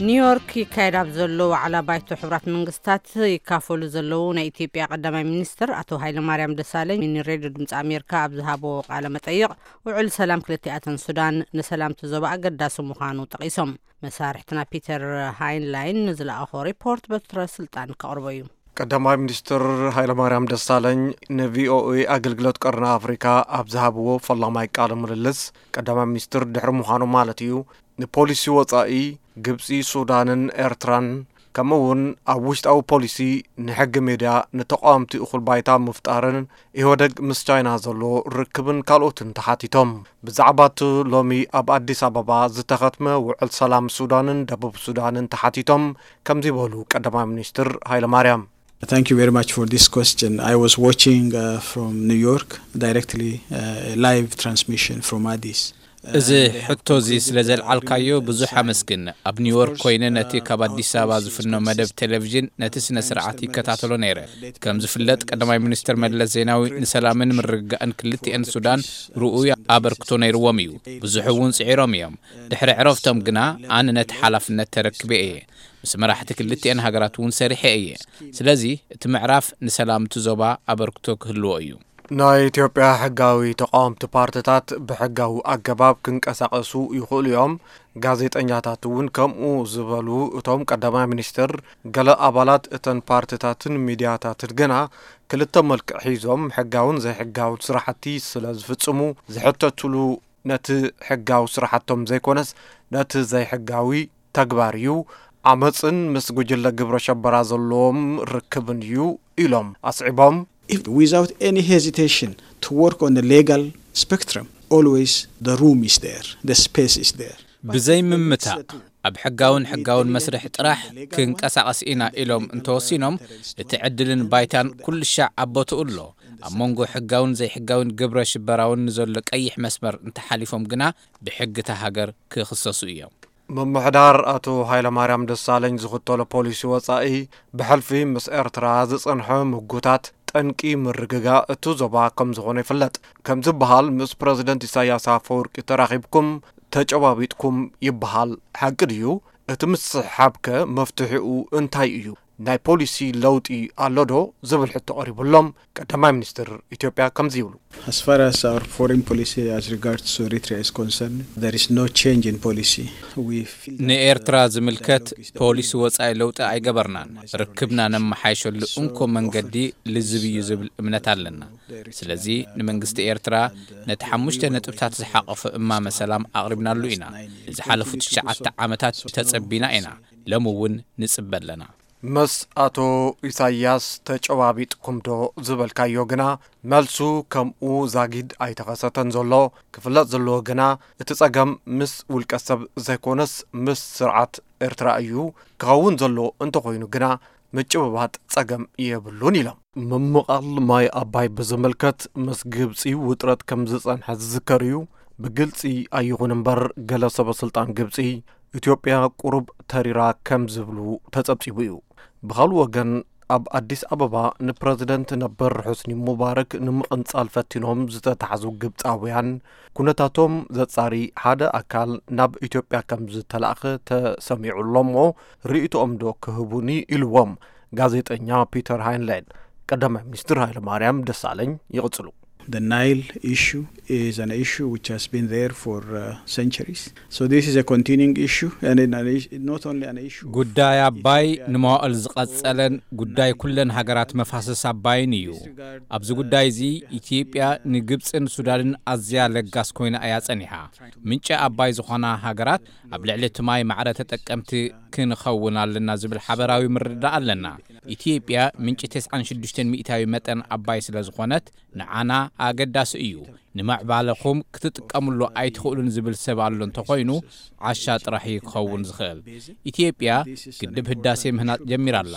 ኒውዮርክ ይካየድ ኣብ ዘሎ ዋዕላ ባይቶ ሕቡራት መንግስታት ይካፈሉ ዘለዉ ናይ ኢትዮጵያ ቀዳማይ ሚኒስትር ኣቶ ሃይለማርያም ደሳለኝ ንሬድዮ ድምፂ ኣሜሪካ ኣብ ዝሃብዎ ቃለ መጠይቕ፣ ውዕል ሰላም ክልቲኣተን ሱዳን ንሰላምቲ ዞባ ኣገዳሲ ምዃኑ ጠቒሶም። መሳርሕትና ፒተር ሃይንላይን ንዝለኣኾ ሪፖርት በትረ ስልጣን ከቕርቦ እዩ። ቀዳማይ ሚኒስትር ሃይለማርያም ደሳለኝ ንቪኦኤ ኣገልግሎት ቀርኒ ኣፍሪካ ኣብ ዝሃብዎ ፈላማይ ቃለ ምልልስ፣ ቀዳማይ ሚኒስትር ድሕሪ ምዃኑ ማለት እዩ፣ ንፖሊሲ ወፃኢ ግብፂ፣ ሱዳንን ኤርትራን፣ ከምኡ እውን ኣብ ውሽጣዊ ፖሊሲ፣ ንሕጊ ሜድያ፣ ንተቃወምቲ እኹል ባይታ ምፍጣርን ኢህወደግ ምስ ቻይና ዘሎ ርክብን ካልኦትን ተሓቲቶም። ብዛዕባ እቲ ሎሚ ኣብ ኣዲስ ኣበባ ዝተኸትመ ውዕል ሰላም ሱዳንን ደቡብ ሱዳንን ተሓቲቶም ከምዚ በሉ ቀዳማይ ሚኒስትር ሃይለማርያም። Thank you very much for this question. I was watching uh, from New York directly uh, a live transmission from Addis. እዚ ሕቶ እዚ ስለ ዘልዓልካዮ ብዙሕ ኣመስግን። ኣብ ኒውዮርክ ኮይነ ነቲ ካብ ኣዲስ ኣበባ ዝፍኖ መደብ ቴሌቪዥን ነቲ ስነ ስርዓት ይከታተሎ ነይረ። ከም ዝፍለጥ ቀዳማይ ሚኒስትር መለስ ዜናዊ ንሰላምን ምርግጋእን ክልቲኤን ሱዳን ርኡይ ኣበርክቶ ነይርዎም እዩ። ብዙሕ እውን ጽዒሮም እዮም። ድሕሪ ዕረፍቶም ግና ኣነ ነቲ ሓላፍነት ተረክበ እየ። ምስ መራሕቲ ክልቲኤን ሃገራት እውን ሰሪሐ እየ። ስለዚ እቲ ምዕራፍ ንሰላም እቲ ዞባ ኣበርክቶ ክህልዎ እዩ። ናይ ኢትዮጵያ ሕጋዊ ተቃወምቲ ፓርትታት ብሕጋዊ ኣገባብ ክንቀሳቀሱ ይኽእሉ እዮም። ጋዜጠኛታት እውን ከምኡ ዝበሉ እቶም ቀዳማይ ሚኒስትር፣ ገለ ኣባላት እተን ፓርትታትን ሚድያታትን ግና ክልተ መልክዕ ሒዞም ሕጋውን ዘይሕጋውን ስራሕቲ ስለ ዝፍጽሙ ዝሕተትሉ ነቲ ሕጋዊ ስራሕቶም ዘይኮነስ ነቲ ዘይሕጋዊ ተግባር እዩ። ዓመፅን ምስ ጉጅለ ግብረ ሸበራ ዘለዎም ርክብን እዩ ኢሎም ኣስዒቦም። If, without any hesitation, to work on the legal spectrum, always the room is there, the space is there. ብዘይ ምምታእ ኣብ ሕጋውን ሕጋውን መስርሕ ጥራሕ ክንቀሳቐስ ኢና ኢሎም እንተወሲኖም፣ እቲ ዕድልን ባይታን ኩሉ ሻዕ ኣብ ቦትኡ ኣሎ። ኣብ መንጎ ሕጋውን ዘይሕጋውን ግብረ ሽበራውን ንዘሎ ቀይሕ መስመር እንተሓሊፎም ግና ብሕጊ እታ ሃገር ክኽሰሱ እዮም። ምምሕዳር ኣቶ ሃይለማርያም ደሳለኝ ዝኽተሎ ፖሊሲ ወፃኢ፣ ብሕልፊ ምስ ኤርትራ ዝፀንሐ ምጉታት ጠንቂ ምርግጋእ እቱ ዞባ ከም ዝኾነ ይፍለጥ። ከም ዝበሃል ምስ ፕረዚደንት ኢሳያስ ኣፈወርቂ ተራኺብኩም ተጨባቢጥኩም ይበሃል። ሓቂ ድዩ? እቲ ምስሕሓብከ መፍትሒኡ እንታይ እዩ? ናይ ፖሊሲ ለውጢ ኣሎ ዶ ዝብል ሕቶ ቀሪቡሎም፣ ቀዳማይ ሚኒስትር ኢትዮጵያ ከምዚ ይብሉ። As far as our foreign policy as regards to Eritrea is concerned, there is no change in policy. We feel that, ንኤርትራ ዝምልከት ፖሊሲ ወጻኢ ለውጢ ኣይገበርናን። ርክብና ነመሓይሸሉ እንኮ መንገዲ ልዝብ እዩ ዝብል እምነት ኣለና። ስለዚ ንመንግስቲ ኤርትራ ነቲ ሓሙሽተ ነጥብታት ዝሓቐፈ እማመ ሰላም ኣቕሪብናሉ ኢና። ንዝሓለፉ ትሽዓተ ዓመታት ተጸቢና ኢና። ሎም እውን ንጽበ ኣለና። ምስ ኣቶ ኢሳያስ ተጨባቢጥኩም ዶ ዝበልካዮ ግና፣ መልሱ ከምኡ ዛጊድ ኣይተኸሰተን ዘሎ። ክፍለጥ ዘለዎ ግና፣ እቲ ጸገም ምስ ውልቀ ሰብ ዘይኮነስ ምስ ስርዓት ኤርትራ እዩ። ክኸውን ዘሎ እንተኾይኑ ግና፣ ምጭብባጥ ጸገም የብሉን ኢሎም። ምምቓል ማይ ኣባይ ብዝምልከት፣ ምስ ግብጺ ውጥረት ከም ዝጸንሐ ዝዝከር እዩ። ብግልጺ ኣይኹን እምበር፣ ገለ ሰበ ስልጣን ግብጺ፣ ኢትዮጵያ ቁሩብ ተሪራ ከም ዝብሉ ተጸብጺቡ እዩ። ብኻልእ ወገን፣ ኣብ ኣዲስ ኣበባ ንፕረዚደንት ነበር ሑስኒ ሙባረክ ንምቕንጻል ፈቲኖም ዝተታሕዙ ግብጻውያን፣ ኩነታቶም ዘጻሪ ሓደ ኣካል ናብ ኢትዮጵያ ከም ዝተላእኸ ተሰሚዑ ኣሎ እሞ፣ ርእይቶኦም ዶ ክህቡኒ ኢልዎም ጋዜጠኛ ፒተር ሃይንላይን። ቀዳማይ ሚኒስትር ሃይለማርያም ደሳለኝ ይቕጽሉ። The Nile issue is an issue which has been there for uh, centuries. So this is a continuing issue, and in an issue, not only an issue. ጉዳይ ኣባይ ንመዋእል ዝቐጸለን ጉዳይ ኩለን ሃገራት መፋሰስ ኣባይን እዩ። ኣብዚ ጉዳይ እዚ ኢትዮጵያ ንግብጽን ሱዳንን ኣዝያ ለጋስ ኮይና እያ ጸኒሓ። ምንጪ ኣባይ ዝኾና ሃገራት ኣብ ልዕሊ እቲ ማይ ማዕረ ተጠቀምቲ ክንኸውን ኣለና ዝብል ሓበራዊ ምርዳእ ኣለና። ኢትዮጵያ ምንጪ ተስዓን ሽዱሽተን ሚእታዊ መጠን ኣባይ ስለ ዝኾነት ንዓና ኣገዳሲ እዩ። ንምዕባለኹም ክትጥቀምሉ ኣይትኽእሉን ዝብል ሰብ ኣሎ እንተኾይኑ ዓሻ ጥራሕ እዩ ክኸውን ዝኽእል። ኢትዮጵያ ግድብ ህዳሴ ምህናጽ ጀሚራ ኣላ።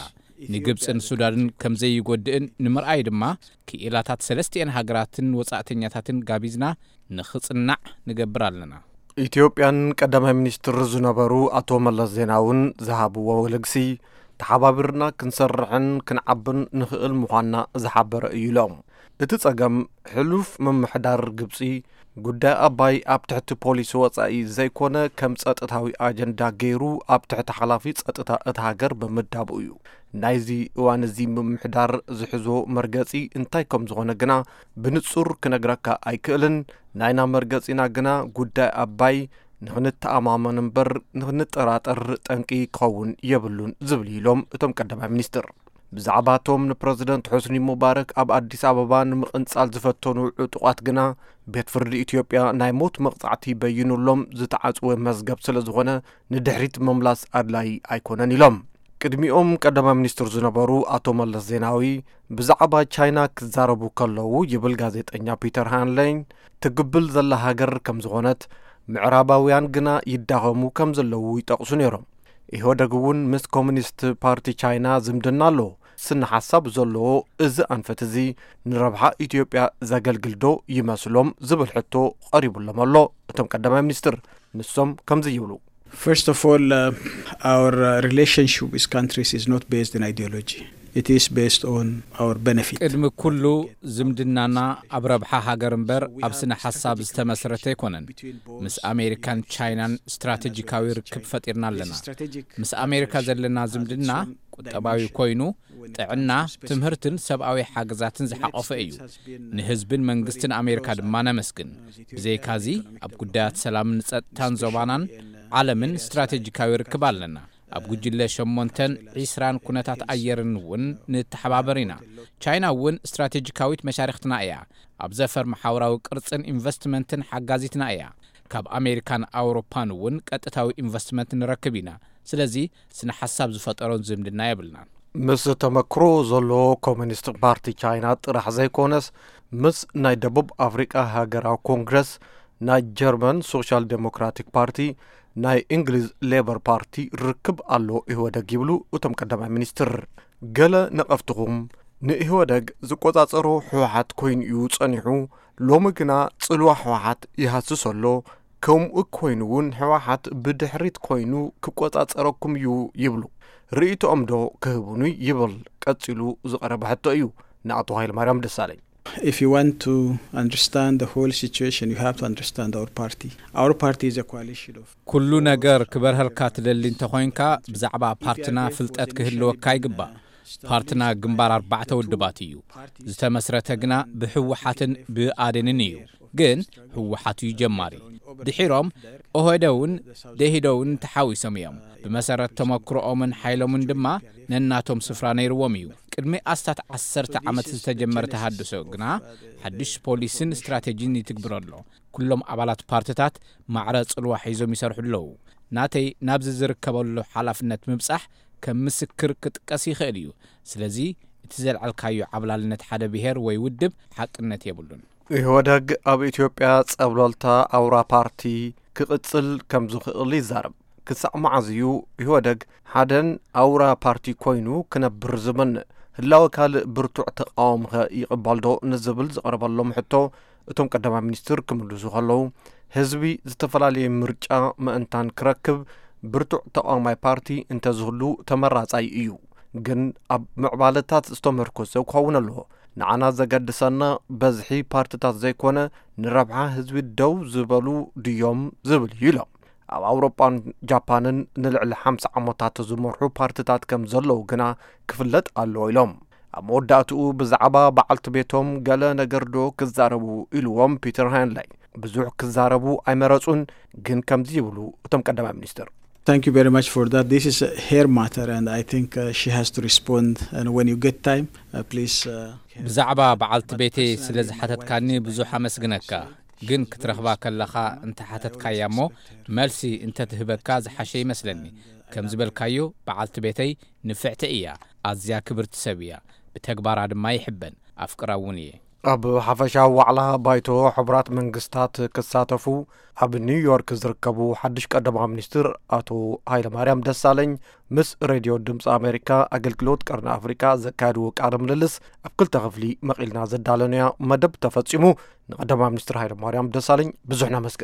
ንግብጽን ሱዳንን ከም ዘይጎድእን ንምርኣይ ድማ ክኢላታት ሰለስቲኤን ሃገራትን ወጻእተኛታትን ጋቢዝና ንኽጽናዕ ንገብር ኣለና። ኢትዮጵያን ቀዳማይ ሚኒስትር ዝነበሩ ኣቶ መለስ ዜናውን ዝሃብዎ ልግሲ፣ ተሓባቢርና ክንሰርሕን ክንዓብን ንኽእል ምዃንና ዝሓበረ እዩ ኢሎም። እቲ ጸገም፣ ሕሉፍ ምምሕዳር ግብጺ ጉዳይ ኣባይ ኣብ ትሕቲ ፖሊሲ ወጻኢ ዘይኮነ፣ ከም ጸጥታዊ ኣጀንዳ ገይሩ ኣብ ትሕቲ ሓላፊ ጸጥታ እታ ሃገር ብምዳቡ እዩ። ናይዚ እዋን እዚ ምምሕዳር ዝሕዞ መርገጺ እንታይ ከም ዝኾነ ግና ብንጹር ክነግረካ ኣይክእልን። ናይና መርገጺና ግና ጉዳይ ኣባይ ንኽንተኣማመን እምበር ንኽንጠራጠር ጠንቂ ክኸውን የብሉን ዝብል እዩ ኢሎም እቶም ቀዳማይ ሚኒስትር። ብዛዕባ እቶም ንፕረዚደንት ሑስኒ ሙባረክ ኣብ ኣዲስ ኣበባ ንምቕንጻል ዝፈተኑ ዕጡቓት ግና፣ ቤት ፍርዲ ኢትዮጵያ ናይ ሞት መቕጻዕቲ በይኑሎም ዝተዓጽወ መዝገብ ስለ ዝኾነ፣ ንድሕሪት ምምላስ ኣድላዪ ኣይኮነን ኢሎም። ቅድሚኦም ቀዳማይ ሚኒስትር ዝነበሩ ኣቶ መለስ ዜናዊ ብዛዕባ ቻይና ክዛረቡ ከለዉ፣ ይብል ጋዜጠኛ ፒተር ሃንለይን፣ ትግብል ዘላ ሃገር ከም ዝኾነት፣ ምዕራባውያን ግና ይዳኸሙ ከም ዘለዉ ይጠቕሱ ነይሮም። ኢህወደግ እውን ምስ ኮሙኒስት ፓርቲ ቻይና ዝምድና ኣለዎ። ስነ ሓሳብ ዘለዎ እዚ ኣንፈት እዚ ንረብሓ ኢትዮጵያ ዘገልግል ዶ ይመስሎም ዝብል ሕቶ ቀሪቡሎም ኣሎ። እቶም ቀዳማይ ሚኒስትር ንሶም ከምዚ ይብሉ። First of all, uh, our uh, relationship with countries is not based on ideology. It is based on our benefit. ቅድሚ ኩሉ ዝምድናና ኣብ ረብሓ ሃገር እምበር ኣብ ስነ ሓሳብ ዝተመስረተ ኣይኮነን። ምስ ኣሜሪካን ቻይናን ስትራቴጂካዊ ርክብ ፈጢርና ኣለና። ምስ ኣሜሪካ ዘለና ዝምድና ቁጠባዊ ኮይኑ፣ ጥዕና፣ ትምህርትን ሰብኣዊ ሓገዛትን ዝሓቆፈ እዩ። ንህዝብን መንግስትን ኣሜሪካ ድማ ነመስግን። ብዘይካዚ፣ ኣብ ጉዳያት ሰላምን ጸጥታን ዞባናን ዓለምን ስትራቴጂካዊ ርክብ ኣለና። ኣብ ጉጅለ ሸሞንተን ዒስራን ኩነታት ኣየርን እውን ንተሓባበር ኢና። ቻይና እውን ስትራቴጂካዊት መሻርክትና እያ። ኣብ ዘፈር መሓውራዊ ቅርጽን ኢንቨስትመንትን ሓጋዚትና እያ። ካብ ኣሜሪካን ኣውሮፓን እውን ቀጥታዊ ኢንቨስትመንት ንረክብ ኢና። ስለዚ ስነ ሓሳብ ዝፈጠሮን ዝምድና የብልናን። ምስ ተመክሮ ዘለዎ ኮሙኒስት ፓርቲ ቻይና ጥራሕ ዘይኮነስ፣ ምስ ናይ ደቡብ ኣፍሪቃ ሃገራዊ ኮንግረስ፣ ናይ ጀርመን ሶሻል ዴሞክራቲክ ፓርቲ፣ ናይ እንግሊዝ ሌበር ፓርቲ ርክብ ኣሎ ኢህወደግ ይብሉ እቶም ቀዳማይ ሚኒስትር። ገለ ነቐፍትኹም፣ ንኢህወደግ ዝቆጻጸሮ ህወሓት ኮይኑ እዩ ጸኒሑ፣ ሎሚ ግና ጽልዋ ህወሓት ይሃስስ ኣሎ። ከምኡ ኮይኑ እውን ህወሓት ብድሕሪት ኮይኑ ክቆጻጸረኩም እዩ ይብሉ። ርእይቶኦም ዶ ክህቡኒ ይብል ቀጺሉ ዝቐረበ ሕቶ እዩ ንኣቶ ሃይለማርያም ደሳለኝ። If you want to understand the whole situation, you have to understand our party. Our party is a coalition of ኩሉ ነገር ክበርሀልካ ትደሊ እንተኾይንካ፣ ብዛዕባ ፓርትና ፍልጠት ክህልወካ ይግባእ። ፓርትና ግንባር ኣርባዕተ ውድባት እዩ። ዝተመስረተ ግና ብህወሓትን ብኣዴንን እዩ። ግን ህወሓት እዩ ጀማሪ። ድሒሮም ኦህዴድን ደኢህዴንን ተሓዊሶም እዮም። ብመሰረት ተመክሮኦምን ሓይሎምን ድማ ነናቶም ስፍራ ነይርዎም እዩ። ቅድሚ ኣስታት ዓሰርተ ዓመት ዝተጀመረ ተሃድሶ ግና ሓድሽ ፖሊስን ስትራቴጂን ይትግብር ኣሎ። ኩሎም ኣባላት ፓርትታት ማዕረ ጽልዋ ሒዞም ይሰርሑ ኣለዉ። ናተይ ናብዚ ዝርከበሉ ሓላፍነት ምብጻሕ ከም ምስክር ክጥቀስ ይኽእል እዩ። ስለዚ እቲ ዘልዓልካዮ ዓብላልነት ሓደ ብሄር ወይ ውድብ ሓቅነት የብሉን። ኢህወደግ ኣብ ኢትዮጵያ ጸብለልታ ኣውራ ፓርቲ ክቕጽል ከም ዝኽእል ይዛረብ። ክሳዕ መዓዝ እዩ ኢህወደግ ሓደን ኣውራ ፓርቲ ኮይኑ ክነብር ዝመንእ? ህላወ ካልእ ብርቱዕ ተቓዋሚኸ ይቕበል ዶ ንዝብል ዝቐረበሎም ሕቶ፣ እቶም ቀዳማይ ሚኒስትር ክምልሱ ከለዉ፣ ህዝቢ ዝተፈላለየ ምርጫ ምእንታን ክረክብ ብርቱዕ ተቓዋማይ ፓርቲ እንተዝህሉ ተመራጻይ እዩ። ግን ኣብ ምዕባለታት ዝተመርኮሰ ክኸውን ኣለዎ። ንዓና ዘገድሰና በዝሒ ፓርትታት ዘይኮነ፣ ንረብሓ ህዝቢ ደው ዝበሉ ድዮም ዝብል እዩ ኢሎም። ኣብ ኣውሮጳን ጃፓንን ንልዕሊ ሓምሳ ዓመታት ዝመርሑ ፓርትታት ከም ዘለዉ ግና ክፍለጥ ኣለዎ ኢሎም። ኣብ መወዳእትኡ ብዛዕባ በዓልቲ ቤቶም ገለ ነገር ዶ ክዛረቡ ኢልዎም ፒተር ሃይንላይ። ብዙሕ ክዛረቡ ኣይመረጹን፣ ግን ከምዚ ይብሉ እቶም ቀዳማይ ሚኒስትር። Thank you very much for that. This is uh, her matter, and I think uh, she has to respond. And when you get time, uh, please. Uh, ብዛዕባ በዓልቲ ቤተይ ስለ ዝሓተትካኒ ብዙሕ ኣመስግነካ። ግን ክትረኽባ ከለኻ እንተሓተትካያ እሞ፣ መልሲ እንተትህበካ ዝሓሸ ይመስለኒ። ከም ዝበልካዮ፣ በዓልቲ ቤተይ ንፍዕቲ እያ። ኣዝያ ክብርቲ ሰብ እያ። ብተግባራ ድማ ይሕበን፣ ኣፍቅራ እውን እየ። ኣብ ሓፈሻዊ ዋዕላ ባይቶ ሕቡራት መንግስታት ክሳተፉ ኣብ ኒውዮርክ ዝርከቡ ሓድሽ ቀዳማዊ ሚኒስትር ኣቶ ሃይለማርያም ደሳለኝ ምስ ሬድዮ ድምፂ ኣሜሪካ ኣገልግሎት ቀርኒ ኣፍሪካ ዘካየድዎ ቃለ ምልልስ ኣብ ክልተ ክፍሊ መቒልና ዘዳለናዮ መደብ ተፈፂሙ። ንቀዳማዊ ሚኒስትር ሃይለማርያም ደሳለኝ ብዙሕ ነመስግን።